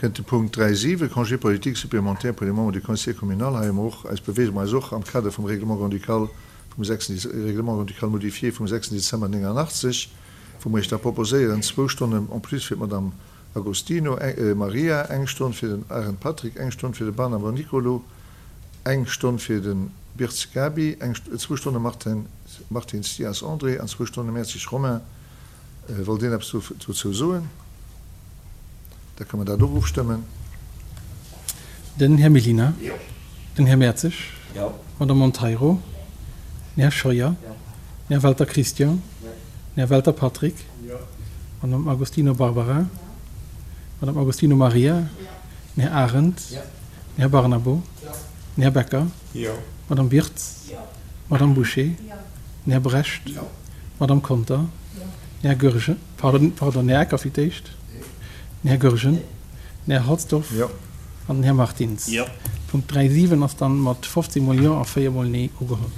Kënnt de Punkt 3, 7, Congé politique supplémentaire pour les membres du Conseil communal. Hei hu mer och eis beweege mer eis och am Kader vum Règlement grand-ducal vum 6. Règlement grand-ducal modifié vum 6. Dezember 89, wou mer Iech da proposéieren, zwou Stonnen en plus fir d'Madame Agostino Maria, eng Stonn fir den Arendt Patrick, eng Stonn fir de Barnabo Nicolo, eng Stonn fir de Birz Gaby, eng, zwou Stonne Martin, Martins Dias André an zwou Stonne Mertzig Romain. Wollt een eppes dozou soen? Da kënne mer dat och ofstëmmen. Den Här Mellina. Jo. Den Här Mertzig. Jo. D'Madame Monteiro. Den Här Scheuer. Jo. Den Här Welter Christian. Jo. Den Här Welter Patrick. Jo. D'Madame Agostino Barbara. Jo. D'Madame Agostino Maria. Jo. Den Här Arendt. Jo. Den Här Barnabo. Jo. Den Här Becker. Jo. D'Madame Birtz. Jo. D'Madame Bouché. Jo. Den Här Brecht. Jo. D'Madame Conter. Jo. Den Här Goergen, pardon, pardon, den Här Ecker fir d'éischt. Den Här Goergen. Den Här Halsdorf. Jo. An den Här Martins. Jo. Punkt 3, 7 ass dann mat 15 mol Jo a 4 mol Nee ugeholl.